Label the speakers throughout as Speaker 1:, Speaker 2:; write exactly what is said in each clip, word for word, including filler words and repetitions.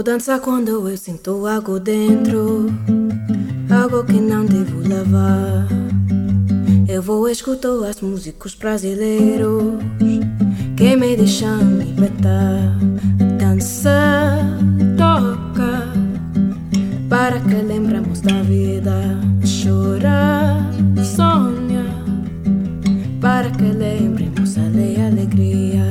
Speaker 1: Vou dançar quando eu sinto algo dentro, algo que não devo levar. Eu vou escutar as músicos brasileiros que me deixam libertar. Dança, toca, para que lembremos da vida. Chora, sonha, para que lembremos a alegria.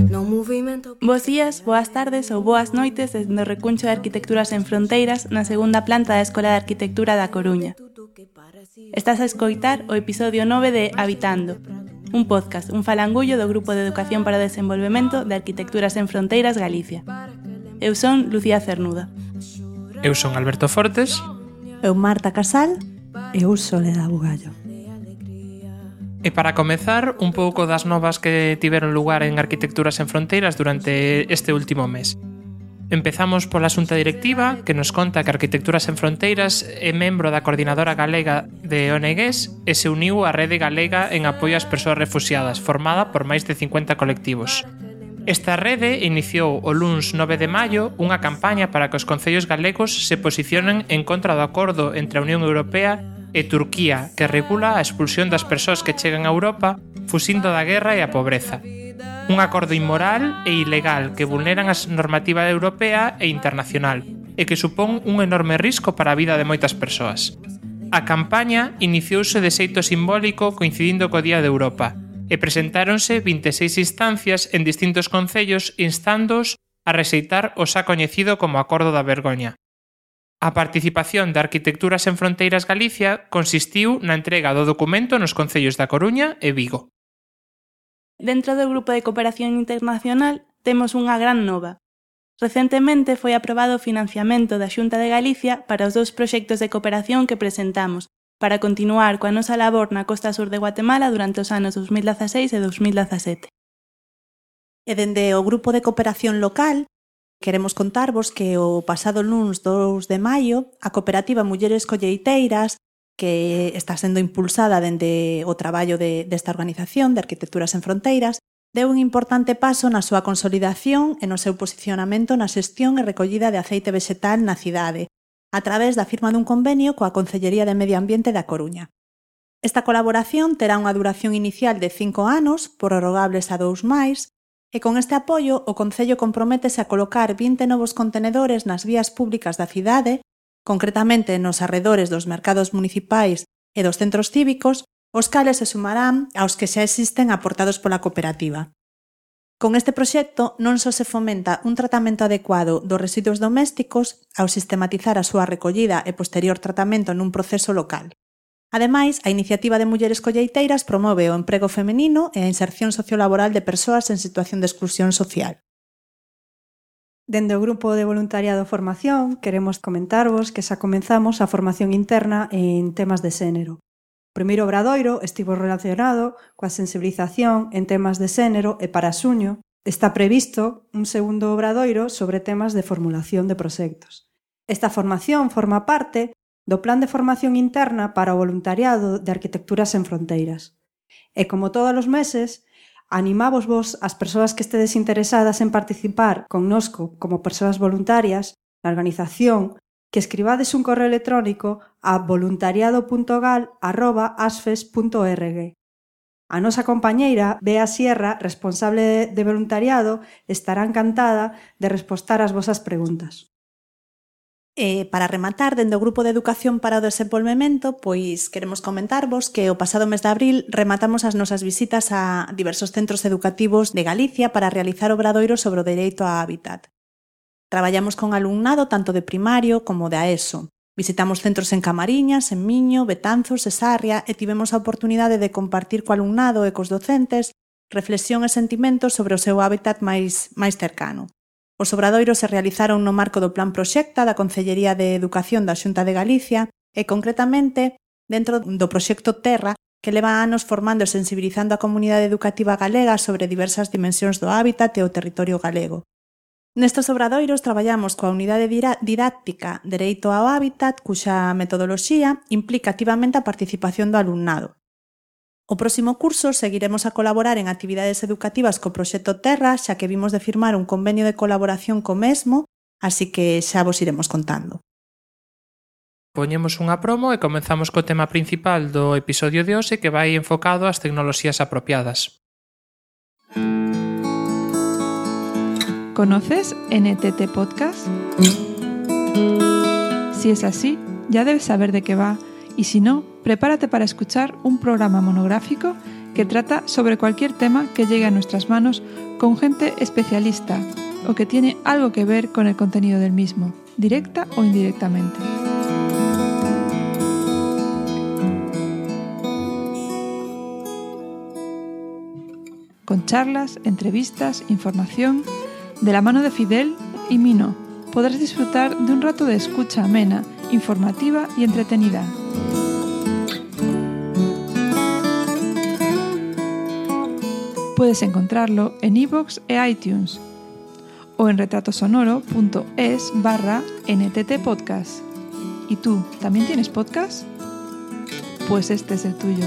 Speaker 1: No movimento...
Speaker 2: Bos días, boas tardes ou boas noites desde o Recuncho de Arquitecturas en Fronteiras na segunda planta da Escola de Arquitectura da Coruña. Estás a escoitar o episodio nove de Habitando, un podcast, un falangullo do Grupo de Educación para o Desenvolvemento de Arquitecturas en Fronteiras Galicia. Eu son Lucía Cernuda.
Speaker 3: Eu son Alberto Fortes.
Speaker 4: Eu Marta Casal. Eu Soledad Bugallo.
Speaker 3: E para comezar, un pouco das novas que tiveron lugar en Arquitecturas en Fronteiras durante este último mes. Empezamos pola Xunta Directiva, que nos conta que Arquitecturas en Fronteiras é membro da Coordinadora Galega de O N Gs e se uniu á Rede Galega en apoio ás persoas refuxiadas, formada por máis de cincuenta colectivos. Esta rede iniciou o luns nove de maio unha campaña para que os concellos galegos se posicionen en contra do acordo entre a Unión Europea e Turquía, que regula a expulsión das persoas que chegan a Europa fuxindo da guerra e a pobreza. Un acordo inmoral e ilegal que vulneran a normativa europea e internacional e que supón un enorme risco para a vida de moitas persoas. A campaña iniciouse de xeito simbólico coincidindo co Día de Europa e presentáronse vinte e seis instancias en distintos concellos instándoos a rexeitar o xa coñecido como Acordo da Vergoña. A participación de Arquitecturas en Fronteiras Galicia consistiu na entrega do documento nos concellos da Coruña e Vigo.
Speaker 2: Dentro do Grupo de Cooperación Internacional temos unha gran nova. Recentemente foi aprobado o financiamento da Xunta de Galicia para os dous proxectos de cooperación que presentamos para continuar coa nosa labor na costa sur de Guatemala durante os anos dos mil dezaseis e dos mil dezasete.
Speaker 4: E dende o Grupo de Cooperación Local queremos contarvos que o pasado luns dous de maio a cooperativa Mulleres Colleiteiras, que está sendo impulsada dende o traballo de, desta organización de Arquitecturas en Fronteiras, deu un importante paso na súa consolidación e no seu posicionamento na xestión e recollida de aceite vegetal na cidade, a través da firma dun convenio coa Concellería de Medio Ambiente da Coruña. Esta colaboración terá unha duración inicial de cinco anos, prorrogables a dous máis, e con este apoio o Concello comprométese a colocar vinte novos contenedores nas vías públicas da cidade, concretamente nos arredores dos mercados municipais e dos centros cívicos, os cales se sumarán aos que xa existen aportados pola cooperativa. Con este proxecto non só se fomenta un tratamento adecuado dos residuos domésticos ao sistematizar a súa recollida e posterior tratamento nun proceso local. Ademais, a iniciativa de Mulleres Colleiteiras promove o emprego feminino e a inserción sociolaboral de persoas en situación de exclusión social.
Speaker 5: Dende o Grupo de Voluntariado Formación, queremos comentarvos que xa comenzamos a formación interna en temas de xénero. O primeiro obradoiro estivo relacionado coa sensibilización en temas de xénero e para xuño está previsto un segundo obradoiro sobre temas de formulación de proxectos. Esta formación forma parte do Plan de Formación Interna para o Voluntariado de Arquitecturas en Fronteiras. E como todos os meses, animamos vos as persoas que estedes interesadas en participar connosco como persoas voluntarias na organización que escribades un correo electrónico a voluntariado punto gal arroba asfes punto org. A nosa compañeira, Bea Sierra, responsable de voluntariado, estará encantada de respostar ás vosas preguntas.
Speaker 4: E para rematar, dende o Grupo de Educación para o Desenvolvemento, pois queremos comentarvos que o pasado mes de abril rematamos as nosas visitas a diversos centros educativos de Galicia para realizar obradoiros sobre o dereito á hábitat. Traballamos con alumnado tanto de primario como de A E S O. Visitamos centros en Camariñas, en Miño, Betanzos e Sarria e tivemos a oportunidade de compartir co alumnado e cos docentes reflexión e sentimentos sobre o seu hábitat máis, máis cercano. Os obradoiros se realizaron no marco do Plan Proxecta da Concellería de Educación da Xunta de Galicia e, concretamente, dentro do proxecto Terra, que leva anos formando e sensibilizando a comunidade educativa galega sobre diversas dimensións do hábitat e o territorio galego. Nestes obradoiros traballamos coa unidade didáctica Dereito ao Hábitat, cuxa metodoloxía implica activamente a participación do alumnado. O próximo curso seguiremos a colaborar en actividades educativas co proxecto Terra, xa que vimos de firmar un convenio de colaboración co mesmo así que xa vos iremos contando.
Speaker 3: Poñemos unha promo e comenzamos co tema principal do episodio de hoxe, que vai enfocado ás tecnoloxías apropiadas.
Speaker 6: ¿Conoces N T T Podcast? Si es así, ya debes saber de qué va, y si no, prepárate para escuchar un programa monográfico que trata sobre cualquier tema que llegue a nuestras manos con gente especialista o que tiene algo que ver con el contenido del mismo, directa o indirectamente. Con charlas, entrevistas, información, de la mano de Fidel y Mino, podrás disfrutar de un rato de escucha amena, informativa y entretenida. Puedes encontrarlo en iVoox e iTunes o en retratosonoro.es barra NTT Podcast. ¿Y tú, también tienes podcast? Pues este es el tuyo.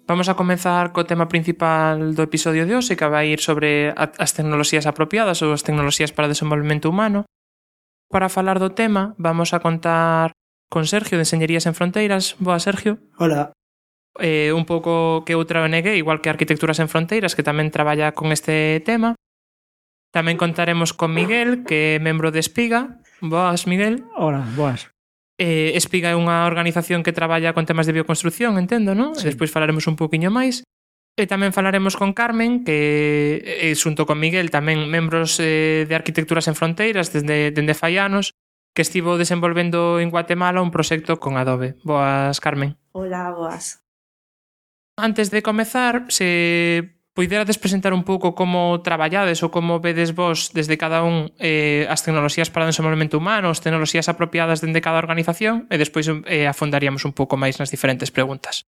Speaker 3: Vamos a comenzar co tema principal do episodio de hoxe, que vai ir sobre as tecnoloxías apropiadas ou as tecnoloxías para o desenvolvemento humano. Para falar do tema, vamos a contar con Sergio de Enxeñerías Sen Fronteiras. Boa, Sergio.
Speaker 7: Hola.
Speaker 3: Eh, un pouco que outra O N G, igual que Arquitecturas Sen Fronteiras, que tamén traballa con este tema. Tamén contaremos con Miguel, que é membro de Espiga. Boas, Miguel.
Speaker 7: Hola, boas.
Speaker 3: Eh, Espiga é unha organización que traballa con temas de bioconstrucción, entendo, non?
Speaker 7: Sí.
Speaker 3: E despois falaremos un poquinho máis. E tamén falaremos con Carmen, que é, xunto con Miguel, tamén membros eh, de Arquitecturas Sen Fronteiras desde, desde fai anos, que estivo desenvolvendo en Guatemala un proxecto con Adobe. Boas, Carmen.
Speaker 4: Hola, boas.
Speaker 3: Antes de comezar, se puiderades presentar un pouco como traballades ou como vedes vos desde cada un eh, as tecnoloxías para o desenvolvemento humano, as tecnoloxías apropiadas dende cada organización, e despois eh, afondaríamos un pouco máis nas diferentes preguntas.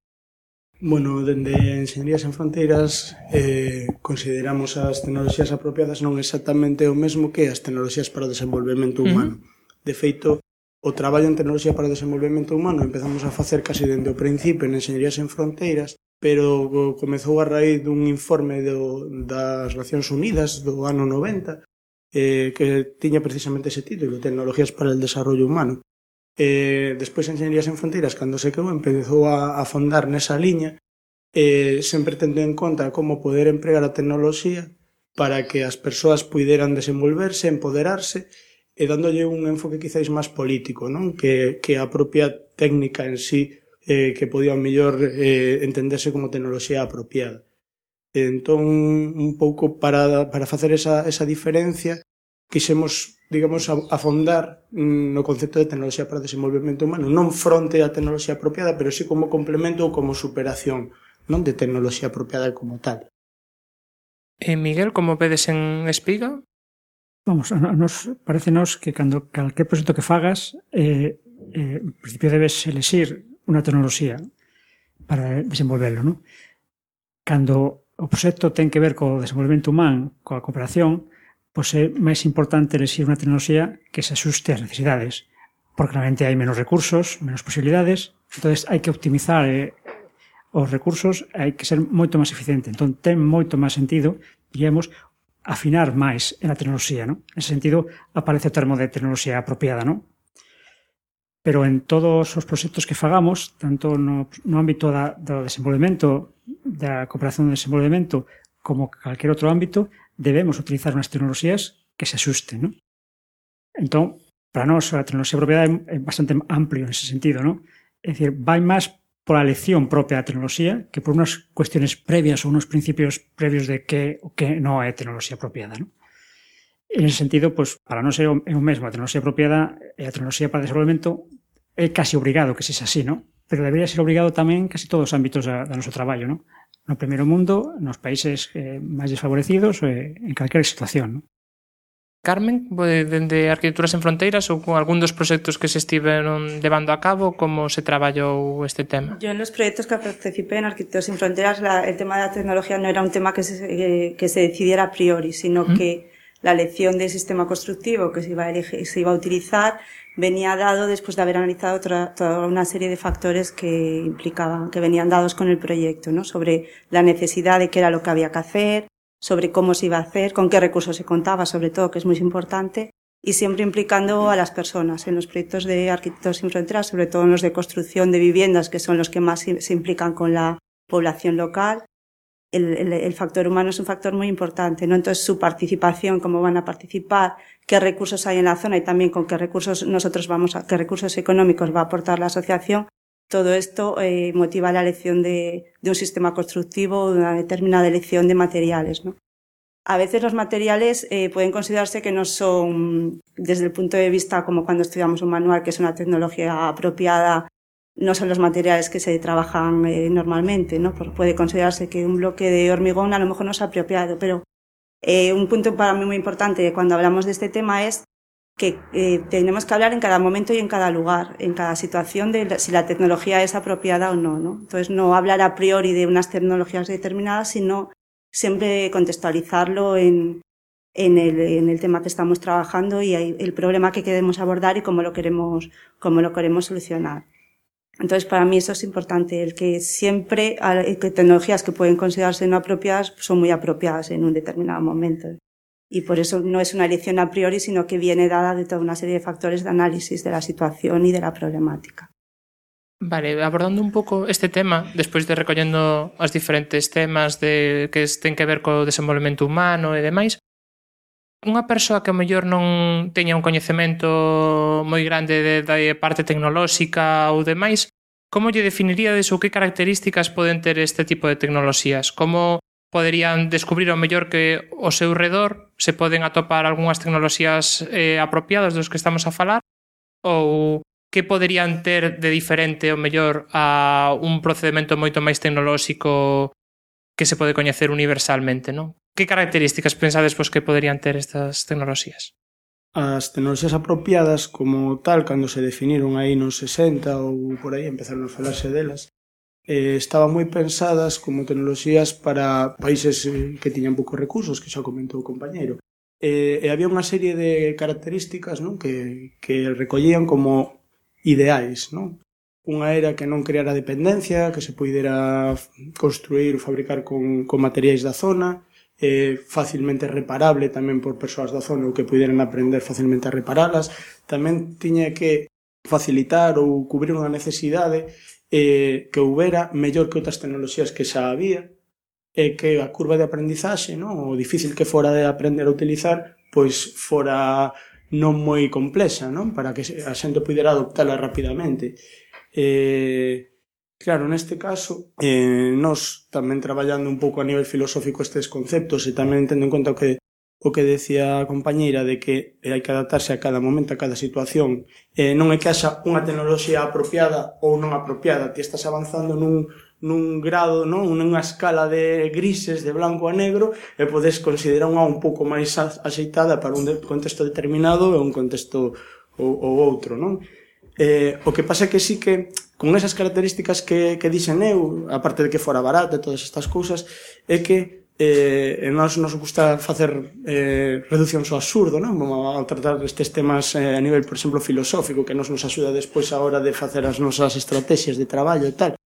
Speaker 7: Bueno, dende Enxeñerías Sen Fronteiras eh, consideramos as tecnoloxías apropiadas non exactamente o mesmo que as tecnoloxías para o desenvolvemento humano. Uh-huh. De feito, o traballo en tecnoloxía para o desenvolvemento humano empezamos a facer casi dende o principio en Enxeñerías Sen Fronteiras, pero comezou a raíz dun informe do, das Nacións Unidas do ano noventa eh, que tiña precisamente ese título, Tecnologías para el Desarrollo Humano. Eh, despois Enxeñerías Sen Fronteiras, cando se quedou, empezou a, a fondar nesa liña, eh, sempre tendo en conta como poder empregar a tecnoloxía para que as persoas puideran desenvolverse, empoderarse, e dándolle un enfoque quizáis máis político, non? Que, que a propia técnica en sí eh, que podía mellor eh, entenderse como tecnoloxía apropiada. Entón, un pouco para, para facer esa, esa diferencia, quixemos, digamos, afondar no concepto de tecnoloxía para o desenvolvemento humano, non fronte á tecnoloxía apropiada, pero sí como complemento ou como superación, non de tecnoloxía apropiada como tal.
Speaker 3: E Miguel, como vedes en Espiga?
Speaker 8: Vamos, a nos parecenos que cando calquer proxecto que fagas, eh, eh, en principio debes elixir unha tecnoloxía para desenvolverlo, non? Cando o proxecto ten que ver co desenvolvemento humano, coa cooperación, pois é máis importante elixir unha tecnoloxía que se asuste ás necesidades, porque realmente hai menos recursos, menos posibilidades, entonces hai que optimizar eh, os recursos, hai que ser moito máis eficiente. Entón, ten moito máis sentido, diríamos, afinar máis en a tecnoloxía, non? En ese sentido, aparece o termo de tecnoloxía apropiada, non? Pero en todos os proxectos que fagamos, tanto no, no ámbito da, do desenvolvemento, da cooperación de desenvolvemento, como calquer outro ámbito, debemos utilizar unhas tecnoloxías que se asusten, non? Entón, para nós, a tecnoloxía apropiada é bastante amplio nese sentido, non? É dicir, vai máis pola elección propia da tecnoloxía que por unhas cuestiones previas ou unos principios previos de que o que non é tecnoloxía apropiada, non? En ese sentido, pues, para non ser o mesmo a tecnoloxía apropiada e a tecnoloxía para o desenvolvemento é casi obrigado que sexa así, non? Pero debería ser obrigado tamén casi todos os ámbitos da, da noso traballo, non? No primeiro mundo, nos países eh, máis desfavorecidos, eh, en calquera situación, non?
Speaker 3: Carmen, dende Arquitecturas Sen Fronteiras ou con algún dos proxectos que se estiveron levando a cabo, como se traballou este tema?
Speaker 9: Yo en los proyectos que participé en Arquitectos Sin Fronteras, la, el tema de la tecnología no era un tema que se, eh, que se decidiera a priori, sino ¿Mm? que la elección del sistema constructivo que se iba a, elegir, se iba a utilizar venía dado después de haber analizado otra, toda una serie de factores que implicaban, que venían dados con el proyecto, ¿no? Sobre la necesidad de qué era lo que había que hacer, sobre cómo se iba a hacer, con qué recursos se contaba, sobre todo, que es muy importante, y siempre implicando a las personas. En los proyectos de Arquitectos Sin Fronteras, sobre todo en los de construcción de viviendas, que son los que más se implican con la población local, el, el, el factor humano es un factor muy importante, ¿no? Entonces, su participación, cómo van a participar, qué recursos hay en la zona y también con qué recursos nosotros vamos a, qué recursos económicos va a aportar la asociación, todo esto eh, motiva la elección de, de un sistema constructivo, una determinada elección de materiales, ¿no? A veces los materiales eh, pueden considerarse que no son, desde el punto de vista como cuando estudiamos un manual, que es una tecnología apropiada, no son los materiales que se trabajan eh, normalmente, ¿no? Porque puede considerarse que un bloque de hormigón a lo mejor no es apropiado, pero eh, un punto para mí muy importante cuando hablamos de este tema es que eh, tenemos que hablar en cada momento y en cada lugar, en cada situación de la, si la tecnología es apropiada o no, ¿no? Entonces no hablar a priori de unas tecnologías determinadas, sino siempre contextualizarlo en, en, el, en el tema que estamos trabajando y el problema que queremos abordar y cómo lo queremos, cómo lo queremos solucionar. Entonces, para mí eso es importante, el que siempre que tecnologías que pueden considerarse no apropiadas son muy apropiadas en un determinado momento. Y por eso no es una elección a priori, sino que viene dada de toda una serie de factores de análisis de la situación y de la problemática.
Speaker 3: Vale, abordando un pouco este tema, despois de recollendo os diferentes temas de que ten que ver co desenvolvemento humano e demais, unha persoa que ao mellor non teña un coñecemento moi grande de, de parte tecnolóxica ou demais, como lle definiríades ou que características poden ter este tipo de tecnoloxías? Como poderían descubrir ao mellor que ao seu redor se poden atopar algunhas tecnoloxías eh, apropiadas dos que estamos a falar? Ou que poderían ter de diferente ao mellor a un procedimento moito máis tecnolóxico que se pode coñecer universalmente, non? Que características pensades pois, que poderían ter estas tecnoloxías?
Speaker 7: As tecnoloxías apropiadas como tal, cando se definiron aí nos sesenta ou por aí, empezaron a falarse delas, eh, estaban moi pensadas como tecnoloxías para países eh, que tiñan poucos recursos, que xa comentou o compañeiro. Eh, e había unha serie de características, non? Que, que recollían como ideais, non? Unha era que non creara dependencia, que se poidera construir ou fabricar con, con materiais da zona, eh, facilmente reparable tamén por persoas da zona ou que poideran aprender facilmente a reparalas. Tamén tiña que facilitar ou cubrir unha necesidade eh, que houbera mellor que outras tecnoloxías que xa había, e que a curva de aprendizaxe, non? O difícil que fora de aprender a utilizar, pois fora non moi complexa, non? Para que a xente pudera adoptala rapidamente. Eh, claro, neste caso, eh, nós tamén traballando un pouco a nivel filosófico estes conceptos e tamén tendo en conta o que, o que decía a compañeira de que hai que adaptarse a cada momento, a cada situación. Eh, non é que haxa unha tecnoloxía apropiada ou non apropiada, ti estás avanzando nun nun grado, non? Nunha escala de grises, de blanco a negro, e podes considerar unha un pouco máis axeitada para un contexto determinado e un contexto ou, ou outro, non? Eh, o que pasa é que sí que, con esas características que, que dixen eu, aparte de que fora barata e todas estas cousas, é que eh, nós nos gusta facer eh, reduccións ao absurdo, non? Vamos a tratar estes temas eh, a nivel, por exemplo, filosófico, que nos nos axuda despois a hora de facer as nosas estrategias de traballo e tal.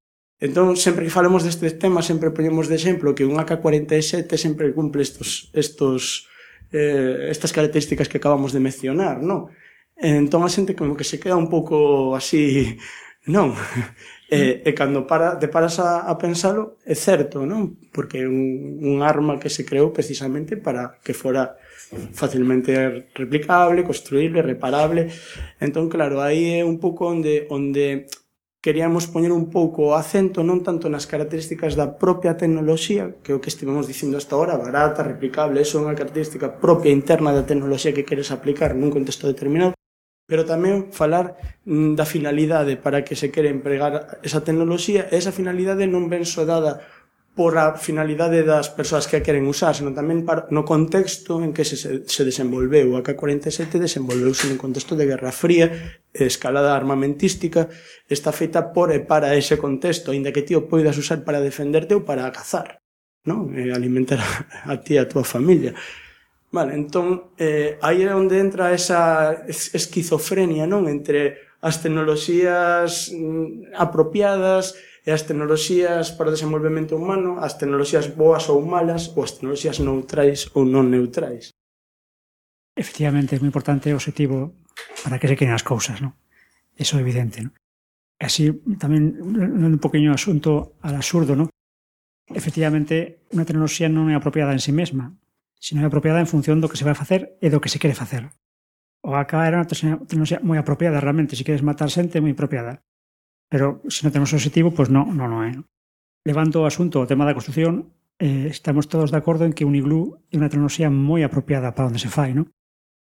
Speaker 7: Entón, sempre que falemos destes temas, sempre poñemos de exemplo que un A K cuarenta e sete sempre cumple estos, estos, eh, estas características que acabamos de mencionar, non? Entón, a xente como que se queda un pouco así, non? E, e cando para, te paras a, a pensalo, é certo, non? Porque é un, un arma que se creou precisamente para que fora facilmente replicable, construíble, reparable. Entón, claro, aí é un pouco onde... onde queríamos poñer un pouco o acento non tanto nas características da propia tecnoloxía, que é o que estivemos dicindo hasta ahora, barata, replicable, eso é unha característica propia interna da tecnoloxía que queres aplicar nun contexto determinado, pero tamén falar da finalidade para que se quere empregar esa tecnoloxía, e esa finalidade non ven só dada por a finalidade das persoas que a queren usar, senón tamén para, no contexto en que se, se desenvolveu. O A K cuarenta e sete desenvolveuse nun contexto de Guerra Fría, escalada armamentística, está feita por e para ese contexto, aínda que ti o poidas usar para defenderte ou para cazar, non? E alimentar a, a ti e a tua familia. Vale, entón, eh, aí é onde entra esa esquizofrenia, non? Entre as tecnoloxías mm, apropiadas e as tecnoloxías para o desenvolvemento humano, as tecnoloxías boas ou malas, ou as tecnoloxías neutrais ou non neutrais.
Speaker 8: Efectivamente, é moi importante o objetivo para que se queden as cousas, non? Eso é evidente, non? Así, tamén, un poquinho asunto al absurdo, non? Efectivamente, unha tecnoloxía non é apropiada en si mesma, sino é apropiada en función do que se vai facer e do que se quere facer. O A K era unha tecnoloxía moi apropiada, realmente, se queres matar xente, moi apropiada. Pero, se non temos o objetivo, pois non, non, non é. Levando o asunto ao tema da construcción, eh, estamos todos de acordo en que un iglú é unha tecnoloxía moi apropiada para onde se fai, non?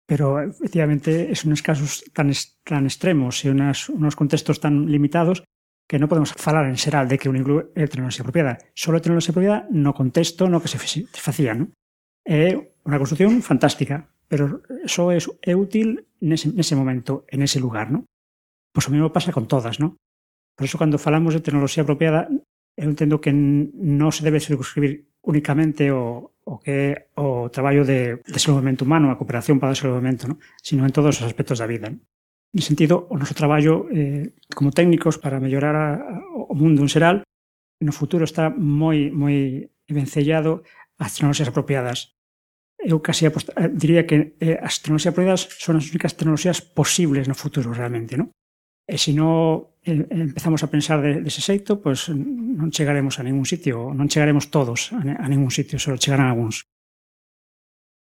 Speaker 8: Pero, efectivamente, son uns casos tan, tan extremos e unas, unos contextos tan limitados que non podemos falar en xeral de que un iglú é tecnoloxía apropiada. Só é tecnoloxía apropiada no contexto no que se facía, non? É unha construcción fantástica, pero só é, é útil nese, nese momento, en ese lugar, non? Pois o mesmo pasa con todas, non? Por iso, cando falamos de tecnoloxía apropiada, eu entendo que non se debe circunscribir únicamente o, o que é o traballo de desenvolvemento humano, a cooperación para o desenvolvemento, non? Sino en todos os aspectos da vida, non? En sentido, o noso traballo eh, como técnicos para mellorar a, a, o mundo en xeral, no futuro está moi, moi vencellado ás tecnoloxías apropiadas. Eu casi apost- diría que eh, as tecnoloxías apropiadas son as únicas tecnoloxías posibles no futuro, realmente, non? E se non eh, empezamos a pensar de, dese xeito, pois non chegaremos a ningún sitio, non chegaremos todos a, a ningún sitio, só chegarán algúns.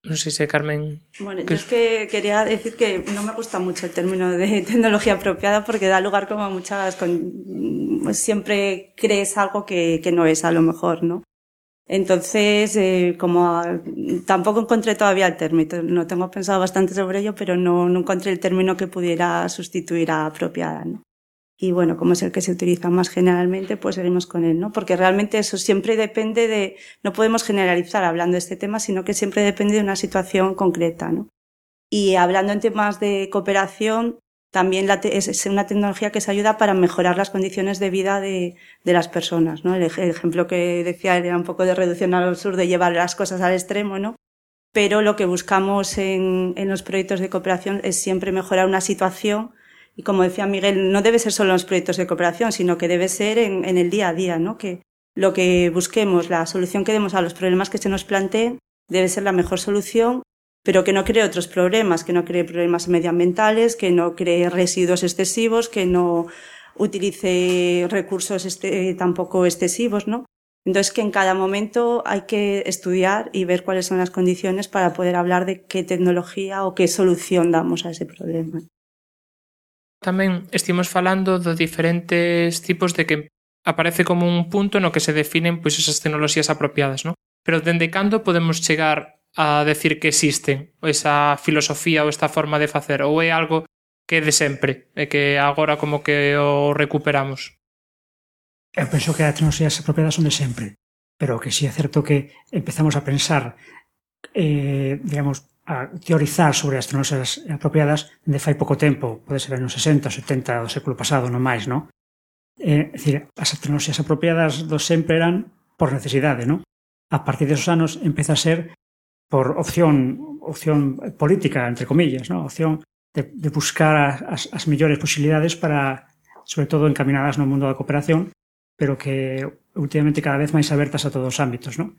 Speaker 3: Non sei se Carmen...
Speaker 9: Bueno, yo es que quería decir que no me gusta mucho el término de tecnología apropiada porque da lugar como a muchas... Con, pues siempre crees algo que, que no es a lo mejor, ¿no? Entonces, eh, como a, tampoco encontré todavía el término, no tengo pensado bastante sobre ello, pero no, no encontré el término que pudiera sustituir a apropiada, ¿no? Y bueno, como es el que se utiliza más generalmente, pues seguimos con él, ¿no? Porque realmente eso siempre depende de, no podemos generalizar hablando de este tema, sino que siempre depende de una situación concreta, ¿no? Y hablando en temas de cooperación, también la te, es una tecnología que se ayuda para mejorar las condiciones de vida de, de las personas, ¿no? El, el ejemplo que decía era un poco de reducción al absurdo, de llevar las cosas al extremo, ¿no? Pero lo que buscamos en, en los proyectos de cooperación es siempre mejorar una situación. Y como decía Miguel, no debe ser solo en los proyectos de cooperación, sino que debe ser en, en el día a día, ¿no? Que lo que busquemos, la solución que demos a los problemas que se nos planteen, debe ser la mejor solución, pero que no cree otros problemas, que no cree problemas medioambientales, que no cree residuos excesivos, que no utilice recursos este, tampoco excesivos, ¿no? Entonces, que en cada momento hay que estudiar y ver cuáles son las condiciones para poder hablar de qué tecnología o qué solución damos a ese problema.
Speaker 3: Tamén estimos falando de diferentes tipos de que aparece como un punto no que se definen pois esas tecnoloxías apropiadas, non? Pero dende cando podemos chegar a decir que existen esa filosofía ou esta forma de facer, ou é algo que é de sempre e que agora como que o recuperamos?
Speaker 8: Eu penso que as tecnoloxías apropiadas son de sempre, pero que si é certo que empezamos a pensar, eh, digamos, a teorizar sobre as tecnoloxías apropiadas de fai pouco tempo, pode ser nos sesenta, setenta do século pasado, non máis, non? É dicir, as tecnoloxías apropiadas do sempre eran por necesidade, non? A partir desos anos empeza a ser por opción opción política, entre comillas, non? Opción de, de buscar as, as mellores posibilidades para, sobre todo, encaminadas no mundo da cooperación, pero que últimamente cada vez máis abertas a todos os ámbitos, non?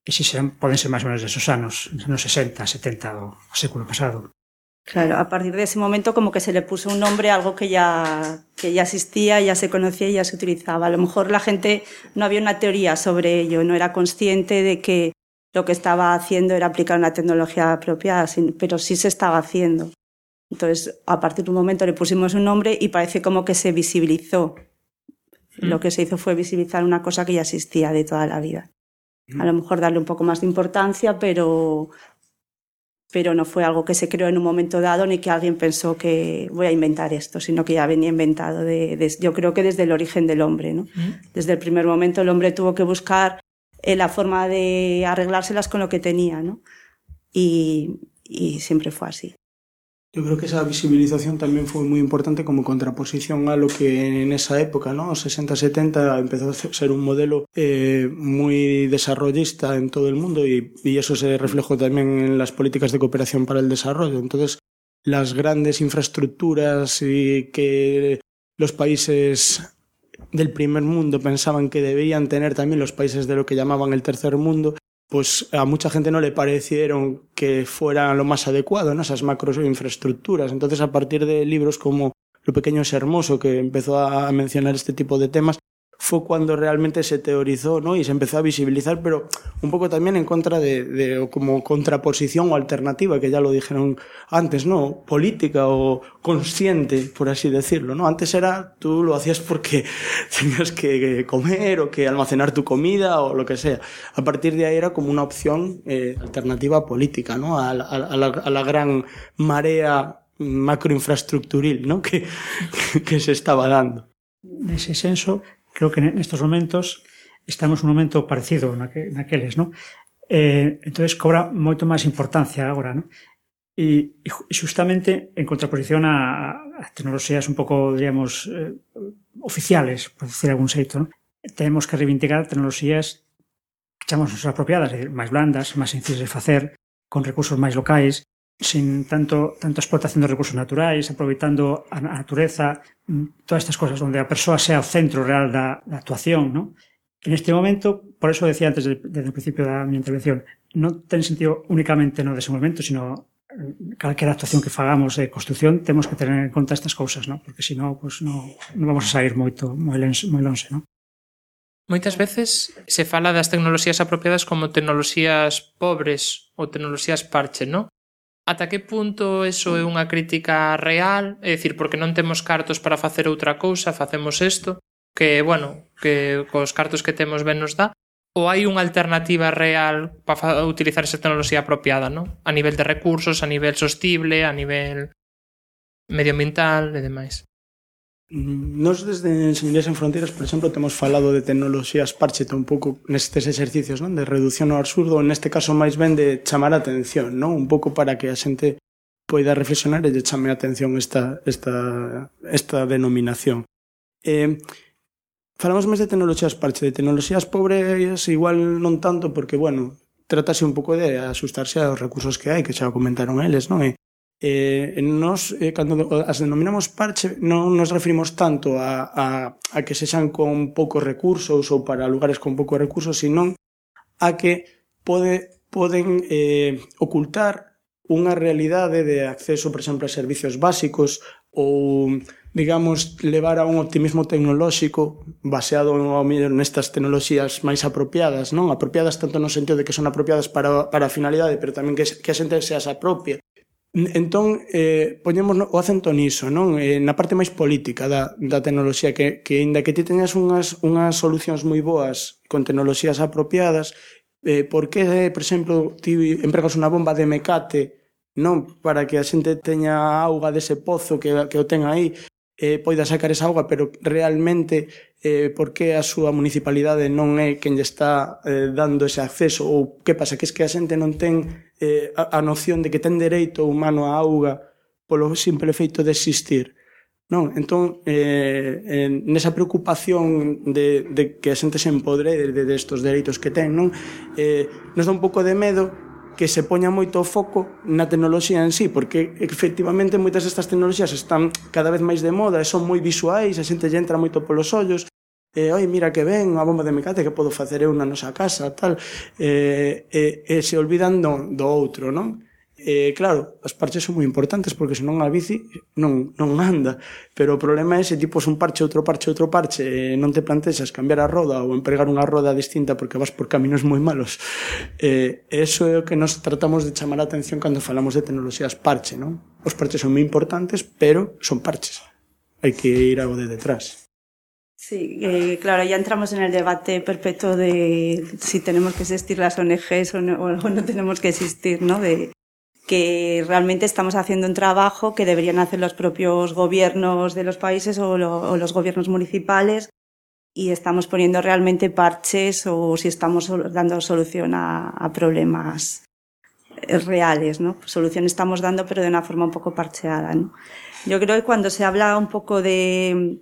Speaker 8: E si serán, poden ser máis ou menos desos anos, nos sesenta, setenta do século pasado.
Speaker 9: Claro, a partir de ese momento como que se le puso un nombre a algo que ya, que ya existía, ya se conocía y ya se utilizaba. A lo mejor la gente no había una teoría sobre ello, no era consciente de que lo que estaba haciendo era aplicar una tecnología apropiada, pero sí se estaba haciendo. Entonces, a partir de un momento le pusimos un nombre y parece como que se visibilizó. Mm. Lo que se hizo fue visibilizar una cosa que ya existía de toda la vida. A lo mejor darle un poco más de importancia, pero, pero no fue algo que se creó en un momento dado ni que alguien pensó que voy a inventar esto, sino que ya venía inventado, de, de, yo creo que desde el origen del hombre, ¿no? Mm. Desde el primer momento el hombre tuvo que buscar eh, la forma de arreglárselas con lo que tenía, ¿no? Y, y siempre fue así.
Speaker 7: Yo creo que esa visibilización tamén foi moi importante como contraposición a lo que en esa época, ¿no? Os sesenta setenta empezó a ser un modelo eh, moi desarrollista en todo el mundo y, y eso se reflejó tamén en las políticas de cooperación para el desarrollo. Entonces, las grandes infraestructuras y que los países del primer mundo pensaban que deberían tener también los países de lo que llamaban el tercer mundo, pues a mucha gente no le parecieron que fuera lo más adecuado, ¿no? Esas macro infraestructuras. Entonces, a partir de libros como Lo pequeño es hermoso, que empezó a mencionar este tipo de temas, fue cuando realmente se teorizó, ¿no? Y se empezó a visibilizar, pero un poco también en contra de, de como contraposición o alternativa, que ya lo dijeron antes, ¿no? Política o consciente, por así decirlo, ¿no? Antes era, tú lo hacías porque tenías que comer o que almacenar tu comida o lo que sea. A partir de ahí era como una opción eh, alternativa política, ¿no? A, a, a, la, a la gran marea macroinfraestructuril, ¿no? Que, que se estaba dando.
Speaker 8: Nese senso, creo que nestos momentos estamos nun momento parecido naque, naqueles, non? Eh, entonces cobra moito máis importancia agora, non? E, e justamente en contraposición a, a tecnoloxías un pouco, diríamos, eh, oficiales, por decir algún xeito, non? Tenemos que reivindicar tecnoloxías que chamamos apropiadas, máis blandas, máis sencillas de facer, con recursos máis locais, sin tanto, tanto explotación de recursos naturais, aproveitando a natureza, todas estas cosas, onde a persoa sea o centro real da, da actuación, ¿no? En este momento, por eso decía antes, desde, desde el principio da miña intervención, non ten sentido únicamente no desenvolvemento, sino calquera actuación que fagamos de construcción, temos que tener en conta estas cousas, ¿no? Porque senón, pues, no, non vamos a sair moito, moi lonxe, moi lonxe, ¿no?
Speaker 3: Moitas veces se fala das tecnoloxías apropiadas como tecnoloxías pobres ou tecnoloxías parche, ¿no? Ata que punto eso é unha crítica real? É dicir, porque non temos cartos para facer outra cousa, facemos isto, que, bueno, que cos cartos que temos ben nos dá, ou hai unha alternativa real para utilizar esa tecnoloxía apropiada, non? A nivel de recursos, a nivel sostible, a nivel medioambiental e demais.
Speaker 7: Nos desde Enxeñerías Sen Fronteiras, por exemplo, temos falado de tecnoloxías parche un pouco nestes exercicios, non? De reducción ao absurdo, neste caso máis ben de chamar a atención, non? Un pouco para que a xente poida reflexionar e lle chame a atención esta, esta, esta denominación. Eh, falamos máis de tecnoloxías parche, de tecnoloxías pobres igual non tanto, porque, bueno, tratase un pouco de asustarse aos recursos que hai, que xa comentaron eles, non? E, Eh, nos, eh, cando as denominamos parche non nos referimos tanto a, a, a que sexan con poucos recursos ou para lugares con poucos recursos, sino a que pode, poden eh, ocultar unha realidade de acceso, por exemplo, a servicios básicos ou, digamos, levar a un optimismo tecnolóxico baseado ao mellor nestas tecnoloxías máis apropiadas, non? Apropiadas tanto no sentido de que son apropiadas para, para a finalidade, pero tamén que, que a xente se as apropia. Entón, eh, poñemos o acento niso, non? Eh, na parte máis política da, da tecnoloxía, que, que inda que ti teñas unhas, unhas solucións moi boas con tecnoloxías apropiadas, eh, por que, por exemplo, ti empregas unha bomba de mecate, non? Para que a xente teña auga dese pozo que, que o ten aí, eh, poida sacar esa auga, pero realmente eh, por que a súa municipalidade non é quen lle está eh, dando ese acceso, ou que pasa, que es que a xente non ten eh, a, a noción de que ten dereito humano á auga polo simple feito de existir, non? Entón, eh, en, nesa preocupación de, de que a xente se empodre de, de estos dereitos que ten, non? Eh, nos dá un pouco de medo que se poña moito o foco na tecnoloxía en sí, porque efectivamente moitas destas tecnoloxías están cada vez máis de moda e son moi visuais, a xente lle entra moito polos ollos, e, oi, mira que ben, unha bomba de mecate que podo facer eu na nosa casa, tal, e, e, e se olvidan do, do outro, non? E, claro, as parches son moi importantes porque senón a bici non, non anda, pero o problema é se tipo un parche, outro parche, outro parche e non te plantexas cambiar a roda ou empregar unha roda distinta porque vas por caminos moi malos. E, eso é o que nos tratamos de chamar a atención cando falamos de tecnoloxías parche, non? Os parches son moi importantes, pero son parches, hai que ir algo de detrás.
Speaker 9: Sí, eh, claro, ya entramos en el debate perpetuo de si tenemos que existir las O N Ges o no, o no tenemos que existir, ¿no? De que realmente estamos haciendo un trabajo que deberían hacer los propios gobiernos de los países o, lo, o los gobiernos municipales, y estamos poniendo realmente parches o si estamos dando solución a, a problemas reales, ¿no? Soluciones estamos dando, pero de una forma un poco parcheada, ¿no? Yo creo que cuando se habla un poco de,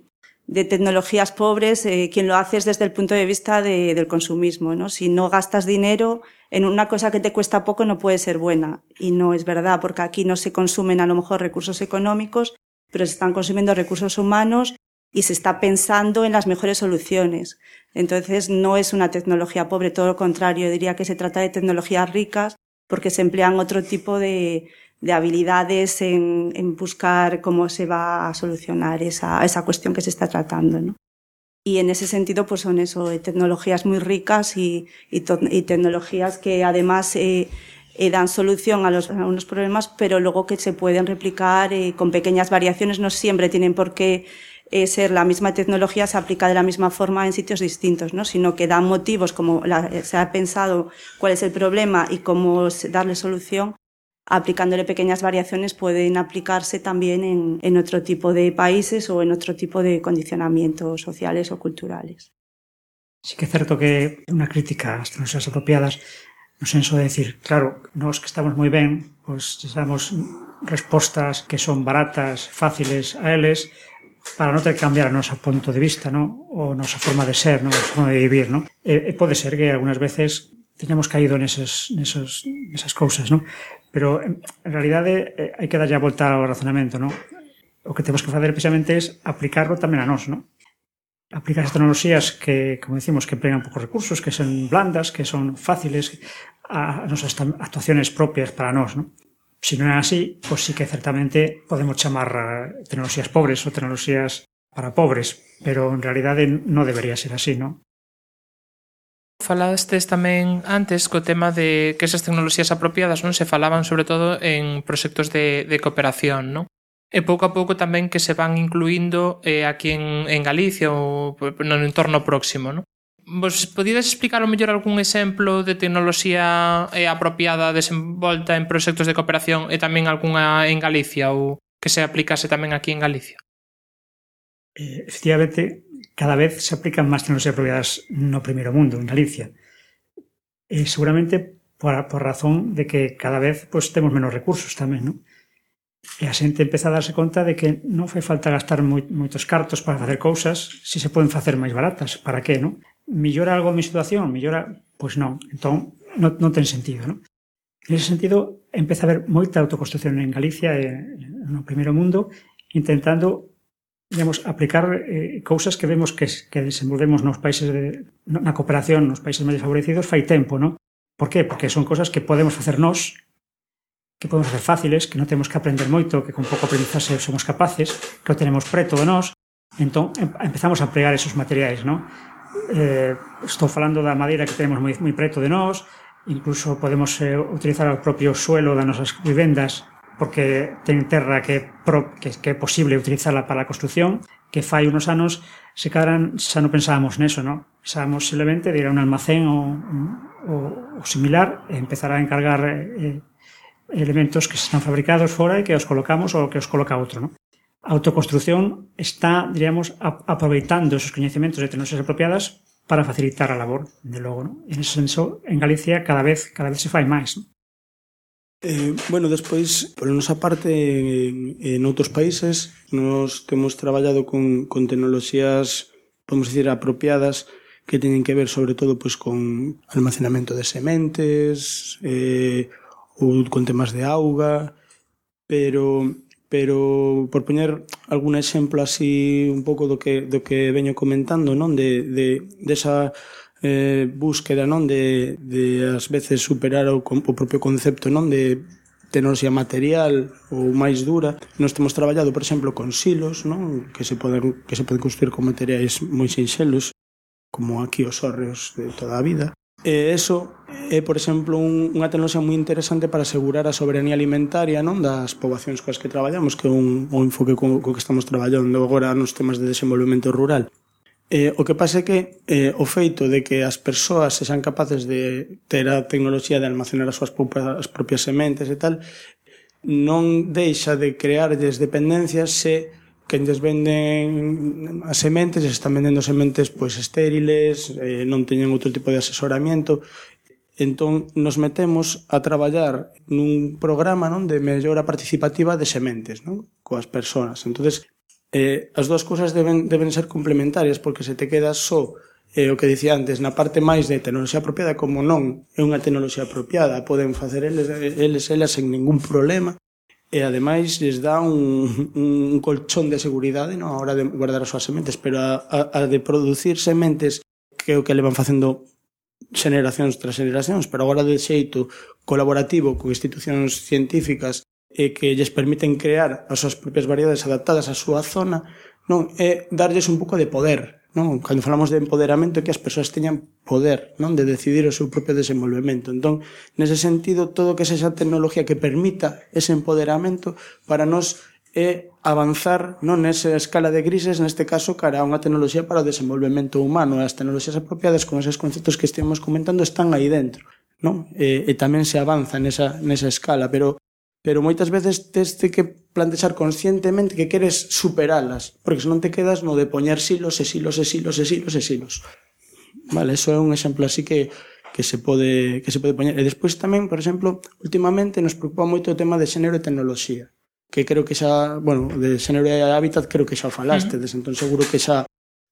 Speaker 9: de tecnologías pobres, eh, quien lo hace es desde el punto de vista de, del consumismo, ¿no? Si no gastas dinero en una cosa que te cuesta poco, no puede ser buena. Y no es verdad, porque aquí no se consumen a lo mejor recursos económicos, pero se están consumiendo recursos humanos y se está pensando en las mejores soluciones. Entonces, no es una tecnología pobre, todo lo contrario. Yo diría que se trata de tecnologías ricas porque se emplean otro tipo de, de habilidades en, en buscar cómo se va a solucionar esa, esa cuestión que se está tratando, ¿no? Y en ese sentido, pues son eso, tecnologías muy ricas y, y, to, y tecnologías que además eh, eh, dan solución a, los, a unos problemas, pero luego que se pueden replicar eh, con pequeñas variaciones. No siempre tienen por qué eh, ser la misma tecnología, se aplica de la misma forma en sitios distintos, ¿no? Sino que dan motivos, como la, se ha pensado cuál es el problema y cómo darle solución. Aplicándole pequeñas variaciones pueden aplicarse también en, en otro tipo de países o en otro tipo de condicionamientos sociales o culturales.
Speaker 8: Sí que é certo que unha crítica ás tecnoloxías apropiadas no senso de decir, claro, nós que estamos moi ben, pois pues, damos respostas que son baratas, fáciles a eles, para non ter que cambiar a nosa punto de vista, ¿no? O nosa forma de ser, ¿no? A forma de vivir, ¿no? E, e pode ser que algunhas veces teñamos caído neses, neses, nesas cousas, ¿no? Pero, en realidade, eh, hai que darlle a volta ao razonamento, ¿no? O que temos que facer precisamente é aplicarlo tamén a nós, ¿no? Aplicar as tecnoloxías que, como decimos, que emplean poucos recursos, que son blandas, que son fáciles, a nosas actuaciones propias para nós, ¿no? Se non é así, pois sí que certamente podemos chamar a tecnoloxías pobres ou tecnoloxías para pobres, pero en realidade non debería ser así, ¿no?
Speaker 3: Falastes tamén antes co tema de que esas tecnoloxías apropiadas non se falaban sobre todo en proxectos de, de cooperación, non? E pouco a pouco tamén que se van incluindo eh, aquí en, en Galicia ou no entorno próximo, non? Vos podides explicar o mellor algún exemplo de tecnoloxía eh, apropiada desenvolta en proxectos de cooperación e tamén algunha en Galicia ou que se aplicase tamén aquí en Galicia?
Speaker 8: Eh, efectivamente, cada vez se aplican máis tecnoloxías apropiadas no primeiro mundo, en Galicia. E seguramente por, por razón de que cada vez pues, temos menos recursos tamén, non? E a xente empeza a darse conta de que non fai falta gastar moi, moitos cartos para facer cousas se se poden facer máis baratas. Para que, non? Millora algo a mi situación? Millora? Pois non. Entón, non, non ten sentido, non? En ese sentido, empeza a haber moita autoconstrucción en Galicia e no primeiro mundo intentando digamos, aplicar eh, cousas que vemos que, que desenvolvemos nos países de, na cooperación, nos países máis desfavorecidos fai tempo, non? Por qué? Porque son cousas que podemos facer nós, que podemos facer fáciles, que non temos que aprender moito, que con pouco aprendizaxe somos capaces, que o tenemos preto de nós, entón empezamos a empregar esos materiais, non? Eh, estou falando da madeira que tenemos moi, moi preto de nós, incluso podemos eh, utilizar o propio suelo das nosas vivendas porque ten terra que, pro, que, que é posible utilizarla para a construcción, que fai unos anos se cadran, xa non pensábamos neso, non? Pensábamos simplemente de ir a un almacén ou, ou, ou similar e empezar a encargar eh, elementos que están fabricados fora e que os colocamos ou que os coloca outro, non? A autoconstrucción está, diríamos, aproveitando esos coñecementos de tecnoloxías apropiadas para facilitar a labor, de logo, non? En ese senso, en Galicia cada vez cada vez se fai máis, non?
Speaker 7: Eh, bueno, despois, por nosa parte, en, en outros países, nos temos traballado con, con tecnoloxías, podemos dicir, apropiadas, que teñen que ver, sobre todo, pues, con almacenamento de sementes, eh, ou con temas de auga, pero, pero por poñer algún exemplo así, un pouco do que, do que veño comentando, non? De, de, de esa eh, búsqueda, non, de, de ás veces superar o, o propio concepto, non, de tecnoloxía material ou máis dura. Nós temos traballado, por exemplo, con silos, non, que se poden que se poden construir con materiais moi sinxelos, como aquí os hórreos de toda a vida. E eso é, por exemplo, un, unha tecnoloxía moi interesante para asegurar a soberanía alimentaria, non, das poboacións coas que traballamos, que é un, un enfoque co, co que estamos traballando agora nos temas de desenvolvemento rural. Eh, o que pasa é que eh, o feito de que as persoas se sean capaces de ter a tecnoloxía de almacenar as súas propias, as propias sementes e tal, non deixa de crearles dependencias se quen lles venden as sementes, se están vendendo sementes pois estériles, eh, non teñen outro tipo de asesoramento. Entón, nos metemos a traballar nun programa, non, de mellora participativa de sementes, non, coas persoas. Entonces, eh, as dúas cousas deben, deben ser complementarias, porque se te queda só eh, o que dicía antes, na parte máis de tecnoloxía apropiada, como non é unha tecnoloxía apropiada, poden facer eles, eles elas sen ningún problema, e ademais les dá un, un colchón de seguridade, non, a hora de guardar as súas sementes, pero a, a, a de producir sementes, que é o que le van facendo xeneracións tras xeneracións, pero agora de xeito colaborativo con institucións científicas e que lles permiten crear as súas propias variedades adaptadas á súa zona, non, é darlles un pouco de poder, non? Cando falamos de empoderamento, é que as persoas teñan poder, non, de decidir o seu propio desenvolvemento. Entón, nese sentido, todo que sexa tecnología que permita ese empoderamento para nos é avanzar, non, nesa escala de grises, neste caso, cara a unha tecnoloxía para o desenvolvemento humano. As tecnoloxías apropiadas con esos conceptos que estivemos comentando están aí dentro, non? E, e tamén se avanza nesa, nesa escala, pero pero moitas veces tes que plantexar conscientemente que queres superalas, porque senón te quedas no de poñer silos e silos e silos e silos e silos. Vale, eso é un exemplo así que que se pode que se pode poñer. E despois tamén, por exemplo, últimamente nos preocupa moito o tema de xénero e tecnoloxía, que creo que xa, bueno, de xénero e hábitat creo que xa falaste, uh-huh. Entón seguro que xa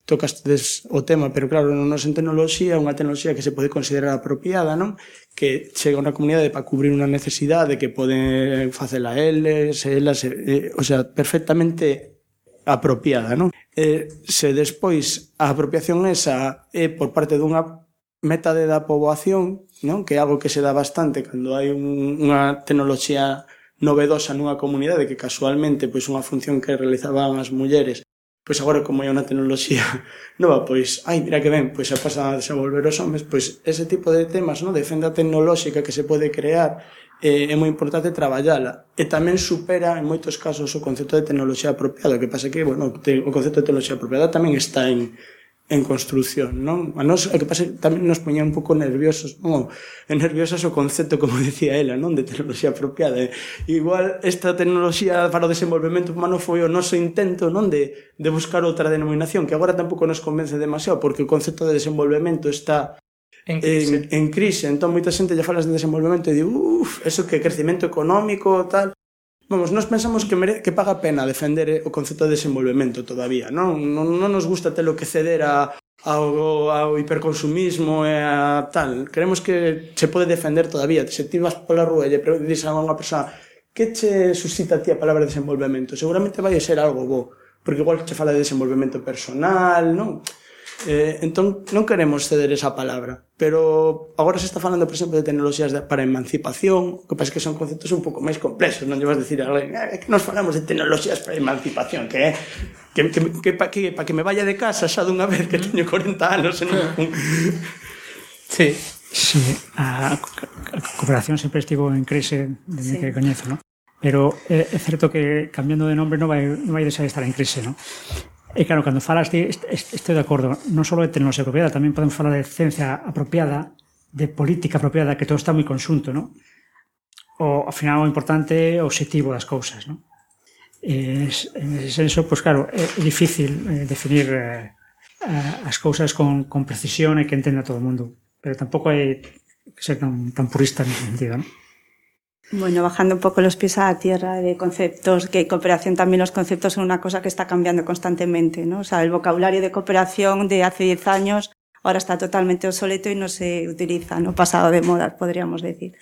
Speaker 7: tocastedes o tema, pero claro, non en tecnoloxía, unha tecnoloxía que se pode considerar apropiada, non? Que chega a unha comunidade para cubrir unha necesidade que poden facela eles, elas, eh, o sea, perfectamente apropiada, non? Eh, se despois a apropiación esa é por parte dunha metade da poboación, non? Que é algo que se dá bastante cando hai un, unha tecnoloxía novedosa nunha comunidade que casualmente pois unha función que realizaban as mulleres, pois agora como hai unha tecnoloxía nova, pois, ai, mira que ben, pois xa pasan a desenvolver os homes, pois ese tipo de temas, non, de fenda tecnolóxica que se pode crear, eh, é moi importante traballala. E tamén supera, en moitos casos, o concepto de tecnoloxía apropiada, que pasa que, bueno, te, o concepto de tecnoloxía apropiada tamén está en en construción, non? A nos, o que pasa tamén nos poñía un pouco nerviosos, non? E nerviosas o concepto, como decía ela, non? De tecnoloxía apropiada. E, igual, esta tecnoloxía para o desenvolvemento humano foi o noso intento, non? De, de buscar outra denominación, que agora tampouco nos convence demasiado, porque o concepto de desenvolvemento está en crise. En, en crise. Entón, moita xente lle falas de desenvolvemento e di, uff, eso que crecimento económico, tal. Vamos, nós pensamos que, mere, que paga pena defender o concepto de desenvolvemento todavía, non? Non, non nos gusta telo que ceder a, ao, ao hiperconsumismo e a tal. Queremos que se pode defender todavía. Se ti vas pola rúa e lle dices a unha persoa que che suscita a ti a palabra desenvolvemento, seguramente vai ser algo bo, porque igual che fala de desenvolvemento personal, non? Eh, entón, non queremos ceder esa palabra, pero agora se está falando, por exemplo, de tecnoloxías de, para emancipación, que pasa que son conceptos un pouco máis complexos, non lle vas decir a alguén, eh, que nos falamos de tecnoloxías para emancipación, que é que, que, que, pa, que, pa que me vaya de casa xa dunha vez que teño corenta anos en un...
Speaker 8: Sí. Sí, a, a cooperación sempre estivo en crise desde sí. que coñezo, ¿no? Pero é, é certo que cambiando de nombre non vai, non vai deixar de estar en crise, ¿no? E claro, cando falas de, estou de acordo, non só de tecnoloxía apropiada, tamén podemos falar de ciencia apropiada, de política apropiada, que todo está moi conxunto, non? O, ao final, o importante é o objetivo das cousas, non? E, en ese senso, pois claro, é, é difícil eh, definir eh, as cousas con, con precisión e que entenda todo o mundo, pero tampouco hai que ser tan, tan purista nesse sentido, non?
Speaker 9: Bueno, bajando un poco los pies a la tierra de conceptos, que cooperación también los conceptos son una cosa que está cambiando constantemente, ¿no? O sea, el vocabulario de cooperación de hace diez años ahora está totalmente obsoleto y no se utiliza, ¿no? Pasado de moda, podríamos decir.